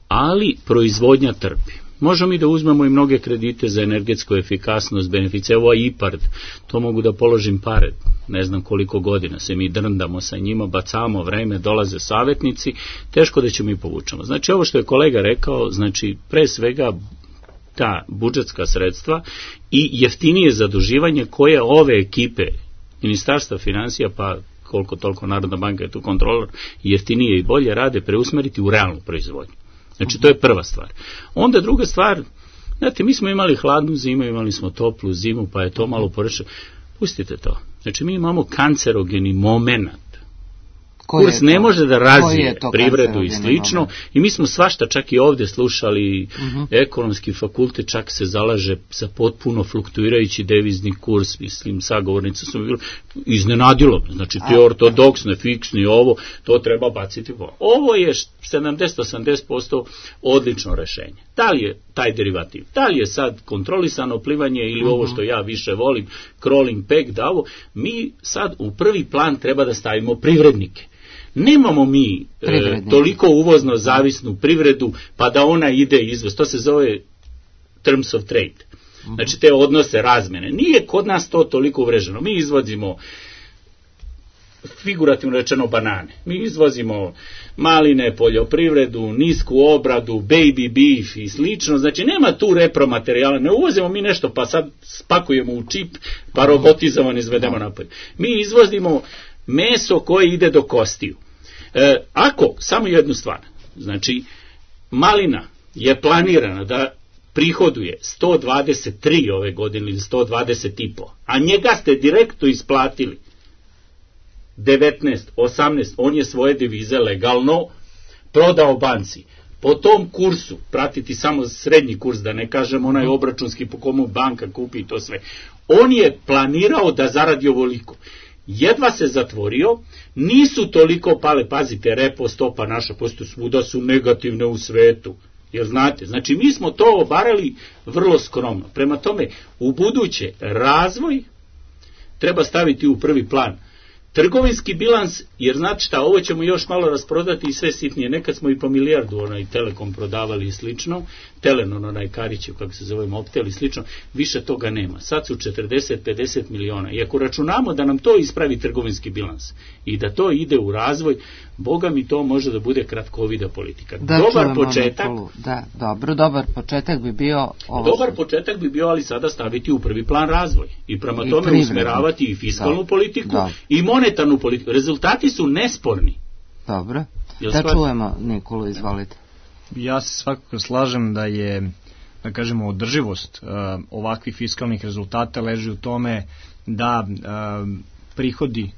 ali proizvodnja trpi. Možemo i da uzmemo i mnoge kredite za energetsku efikasnost, beneficije, ovo je IPARD, to mogu da položim pare, ne znam koliko godina se mi drndamo sa njima, bacamo vreme, dolaze savjetnici, teško da ćemo i povučemo. Znači ovo što je kolega rekao, znači pre svega ta budžetska sredstva i jeftinije zaduživanje koje ove ekipe Ministarstva finansija, pa koliko toliko Narodna banka je tu kontrolor, jeftinije i bolje rade, preusmeriti u realnu proizvodnju. Znači, to je prva stvar. Onda druga stvar, znate, mi smo imali hladnu zimu, imali smo toplu zimu, pa je to malo porešeno. Pustite to. Znači, mi imamo kancerogeni moment Kurs ne može da razvije privredu i slično i mi smo svašta čak i ovdje slušali, uh-huh. ekonomski fakultet čak se zalaže za potpuno fluktuirajući devizni kurs, mislim, sagovornica su bili iznenadilo, znači ti ortodoksne, fiksni, ovo, to treba baciti. Ovo je sedamdeset do osamdeset posto odlično rešenje. Da li je taj derivativ, da li je sad kontrolisano plivanje ili uh-huh. ovo što ja više volim, crawling peg, da ovo, mi sad u prvi plan treba da stavimo privrednike. Nemamo mi e, toliko uvozno zavisnu privredu pa da ona ide izvoz. To se zove terms of trade. Znači te odnose razmene. Nije kod nas to toliko uvreženo. Mi izvozimo, figurativno rečeno, banane. Mi izvozimo maline, poljoprivredu, nisku obradu, baby beef i slično. Znači nema tu repromaterijala. Ne uvozimo mi nešto pa sad spakujemo u čip pa robotizovan izvedemo napolje. Mi izvozimo meso koje ide do kostiju. E, ako, samo jednu stvar, znači malina je planirana da prihoduje sto dvadeset tri ove godine ili sto dvadeset i po, a njega ste direktno isplatili devetnaest, osamnaest, on je svoje devize legalno prodao banci. Po tom kursu, pratiti samo srednji kurs, da ne kažem onaj obračunski po komu banka kupi to sve, on je planirao da zaradi ovoliko. Jedva se zatvorio, nisu toliko pale, pazite, repo stopa naša, posto svuda su negativne u svetu, jer znate, znači mi smo to obarali vrlo skromno. Prema tome, u buduće razvoj treba staviti u prvi plan. Trgovinski bilans, jer znači šta, ovo ćemo još malo rasprodati i sve sitnije. Nekad smo i po milijardu onaj Telekom prodavali i slično, Telenon onaj Karićev, kako se zove, Mobtel i slično, više toga nema. Sad su četrdeset do pedeset miliona. I ako računamo da nam to ispravi trgovinski bilans i da to ide u razvoj, Boga mi to može da bude kratkovida politika. Da, dobar početak. Da, dobro, dobar početak bi bio... Ovo dobar što... početak bi bio, ali sada staviti u prvi plan razvoj. I prema I tome privredni. Usmeravati i fiskalnu da. Politiku da. I monetarnu politiku. Rezultati su nesporni. Dobro. Jel da stvar? Čujemo, Nikolu, izvolite. Ja se svakako slažem da je, da kažemo, održivost uh, ovakvih fiskalnih rezultata leži u tome da uh, prihodi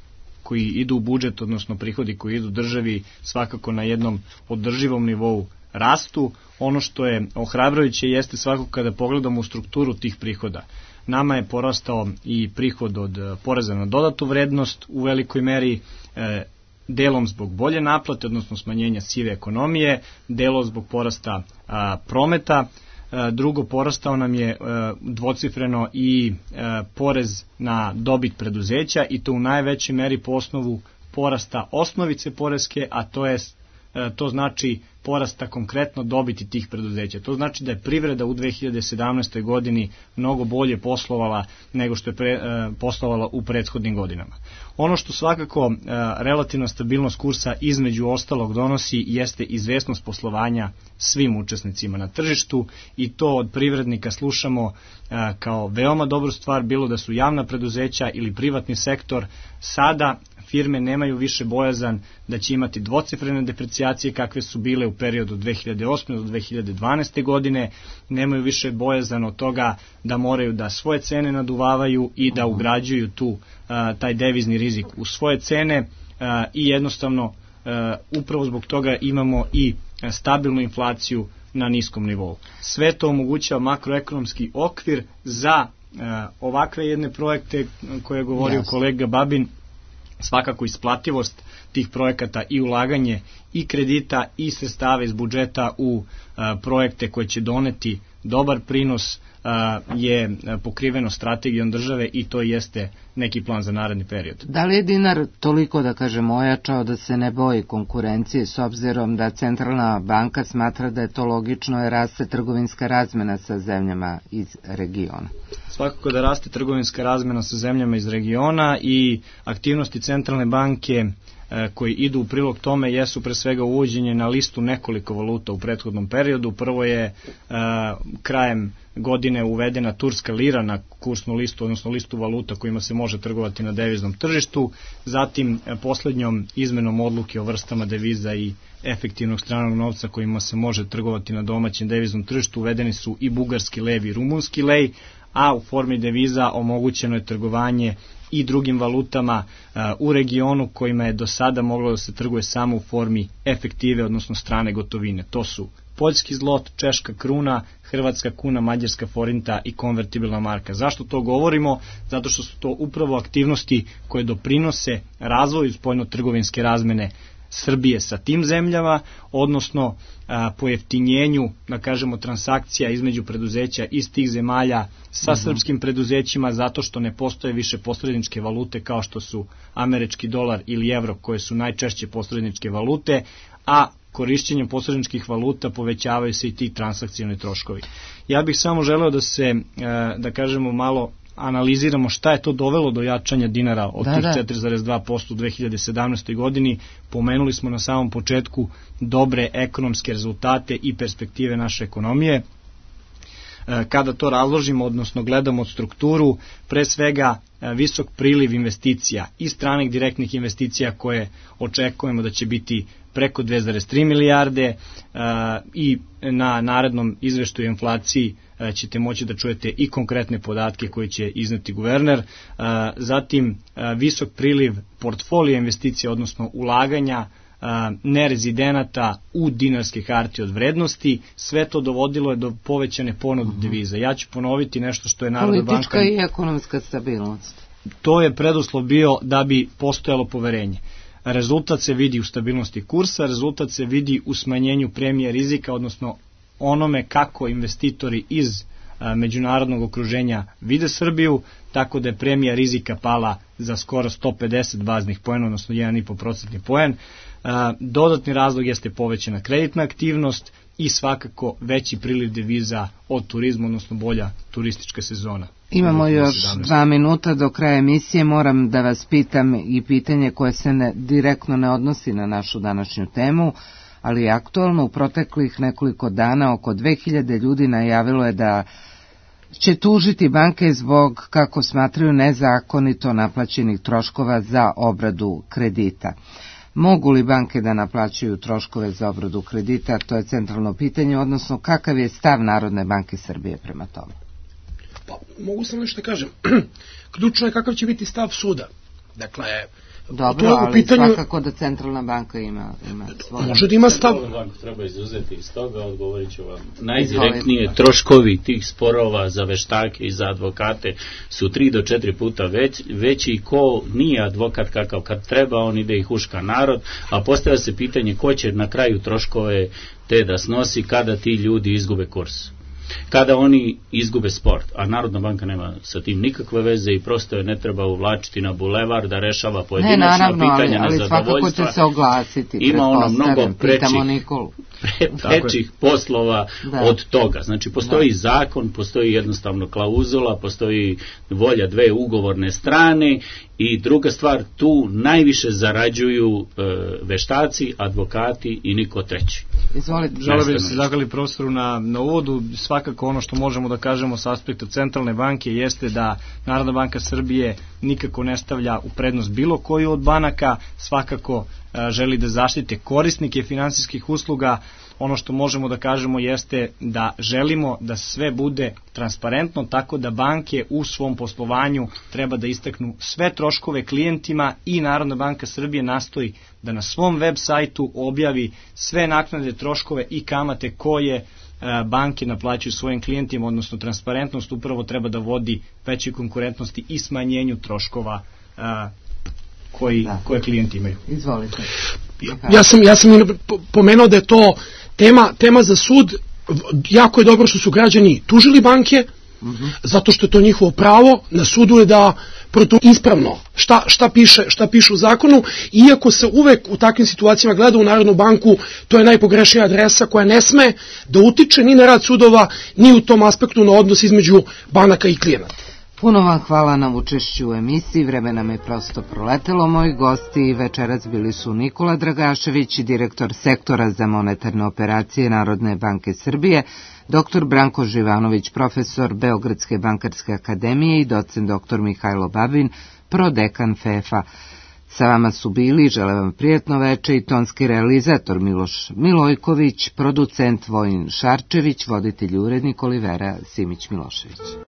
koji idu u budžet, odnosno prihodi koji idu državi, svakako na jednom održivom nivou rastu. Ono što je ohrabrujuće jeste svakako kada pogledamo u strukturu tih prihoda. Nama je porastao i prihod od poreza na dodatu vrednost u velikoj meri, e, delom zbog bolje naplate, odnosno smanjenja sive ekonomije, delom zbog porasta a, prometa. E, drugo, porastao nam je e, dvocifreno i e, porez na dobit preduzeća i to u najvećoj meri po osnovu porasta osnovice poreske, a to je to znači porasta konkretno dobiti tih preduzeća. To znači da je privreda u dve hiljade sedamnaestoj godini mnogo bolje poslovala nego što je pre, e, poslovala u prethodnim godinama. Ono što svakako e, relativna stabilnost kursa između ostalog donosi jeste izvesnost poslovanja svim učesnicima na tržištu i to od privrednika slušamo e, kao veoma dobru stvar, bilo da su javna preduzeća ili privatni sektor. Sada firme nemaju više bojazan da će imati dvocifrene deprecijacije kakve su bile u periodu dve hiljade osme do dve hiljade dvanaeste. godine, nemaju više bojazan od toga da moraju da svoje cene naduvavaju i da ugrađuju tu a, taj devizni rizik u svoje cene a, i jednostavno a, upravo zbog toga imamo i stabilnu inflaciju na niskom nivou. Sve to omogućava makroekonomski okvir za a, ovakve jedne projekte koje je govorio yes. kolega Babin, svakako isplativost tih projekata i ulaganje i kredita i sredstava iz budžeta u a, projekte koje će doneti dobar prinos a, je pokriveno strategijom države i to jeste neki plan za naredni period. Da li je dinar toliko, da kažem, ojačao da se ne boji konkurencije s obzirom da Centralna banka smatra da je to logično jer raste trgovinska razmena sa zemljama iz regiona? Svakako da raste trgovinska razmena sa zemljama iz regiona i aktivnosti Centralne banke koji idu u prilog tome jesu pre svega uvođenje na listu nekoliko valuta u prethodnom periodu. Prvo je krajem godine uvedena turska lira na kursnu listu, odnosno listu valuta kojima se može trgovati na deviznom tržištu. Zatim poslednjom izmenom odluke o vrstama deviza i efektivnog stranog novca kojima se može trgovati na domaćem deviznom tržištu uvedeni su i bugarski lev i rumunski lej, a u formi deviza omogućeno je trgovanje i drugim valutama uh, u regionu kojima je do sada moglo da se trguje samo u formi efektive, odnosno strane gotovine. To su poljski zlot, češka kruna, hrvatska kuna, mađarska forinta i konvertibilna marka. Zašto to govorimo? Zato što su to upravo aktivnosti koje doprinose razvoju spoljno-trgovinske razmene Srbije sa tim zemljama, odnosno a, pojeftinjenju, da kažemo, transakcija između preduzeća iz tih zemalja sa uh-huh. srpskim preduzećima, zato što ne postoje više posredničke valute kao što su američki dolar ili evro, koje su najčešće posredničke valute, a korišćenjem posredničkih valuta povećavaju se i ti transakcioni troškovi. Ja bih samo želeo da se, da kažemo, malo analiziramo šta je to dovelo do jačanja dinara od da, tih četiri zarez dva posto u dve hiljade sedamnaestoj godini. Pomenuli smo na samom početku dobre ekonomske rezultate i perspektive naše ekonomije. Kada to razložimo, odnosno gledamo strukturu, pre svega visok priliv investicija i stranih direktnih investicija koje očekujemo da će biti preko dve zarez tri milijarde i na narednom izveštaju inflaciji ćete moći da čujete i konkretne podatke koje će izneti guverner. Zatim visok priliv portfolija investicija, odnosno ulaganja nerezidenata u dinarske hartije od vrednosti. Sve to dovodilo je do povećane ponude uh-huh. deviza. Ja ću ponoviti nešto što je Narodna banka... Politička i ekonomska stabilnost. To je preduslov bio da bi postojalo poverenje. Rezultat se vidi u stabilnosti kursa, rezultat se vidi u smanjenju premije rizika, odnosno onome kako investitori iz a, međunarodnog okruženja vide Srbiju, tako da je premija rizika pala za skoro sto pedeset baznih poena, odnosno jedan zarez pet procentni poen. A, dodatni razlog jeste povećana kreditna aktivnost i svakako veći priliv deviza od turizma, odnosno bolja turistička sezona. Imamo još dva minuta do kraja emisije. Moram da vas pitam i pitanje koje se ne, direktno ne odnosi na našu današnju temu, ali je aktualno. U proteklih nekoliko dana oko dve hiljade ljudi najavilo je da će tužiti banke zbog, kako smatraju, nezakonito naplaćenih troškova za obradu kredita. Mogu li banke da naplaćuju troškove za obradu kredita? To je centralno pitanje, odnosno kakav je stav Narodne banke Srbije prema tome? Pa, mogu sam nešto da kažem. Ključno je kakav će biti stav suda. Dakle, dobro, ali pitanju... svakako da centralna banka ima, ima svoj... Može da ima stav... Banku treba izuzeti iz toga, odgovorit ću vam. Najdirektnije troškovi tih sporova za veštake i za advokate su tri do četiri puta već, veći i ko nije advokat kakav kad treba, on ide i huška narod, a postavlja se pitanje ko će na kraju troškove te da snosi kada ti ljudi izgube kurs. Kada oni izgube sport, a Narodna banka nema sa tim nikakve veze i prosto je ne treba uvlačiti na bulevar da rešava pojedinačna ne, naravno, pitanja ali, ali nezadovoljstva. Svakako će se oglasiti. Ima ono mnogo prečih, pre, prečih poslova da. Od toga. Znači, postoji da. Zakon, postoji jednostavno klauzula, postoji volja dve ugovorne strane i druga stvar, tu najviše zarađuju e, veštaci, advokati i niko treći. Izvolite. Želeo bih da se zahvali profesoru na, na uvodu. Svakako ono što možemo da kažemo sa aspekta centralne banke jeste da Narodna banka Srbije nikako ne stavlja u prednost bilo koju od banaka, svakako a, želi da zaštite korisnike finansijskih usluga. Ono što možemo da kažemo jeste da želimo da sve bude transparentno, tako da banke u svom poslovanju treba da istaknu sve troškove klijentima i Narodna banka Srbije nastoji da na svom web sajtu objavi sve naknade, troškove i kamate koje banke naplaćuju svojim klijentima, odnosno transparentnost upravo treba da vodi većoj konkurentnosti i smanjenju troškova koji, da. Koje klijenti imaju. Izvolite. Ja sam, ja sam pomenuo da je to tema, tema za sud. Jako je dobro što su građani tužili banke, uh-huh. zato što je to njihovo pravo. Na sudu je da protu ispravno šta, šta, piše, šta piše u zakonu, iako se uvek u takvim situacijama gleda u Narodnu banku, to je najpogrešnija adresa koja ne sme da utiče ni na rad sudova, ni u tom aspektu na odnos između banaka i klijenata. Puno vam hvala na učešću u emisiji, vreme nam je prosto proletelo. Moji gosti večeras bili su Nikola Dragašević, direktor sektora za monetarne operacije Narodne banke Srbije, doktor Branko Živanović, profesor Beogradske bankarske akademije i docent doktor Mihajlo Babin, prodekan F E F a. Sa vama su bili, žele vam prijatno veče, i tonski realizator Miloš Milojković, producent Vojin Šarčević, voditelj i urednik Olivera Simić Milošević.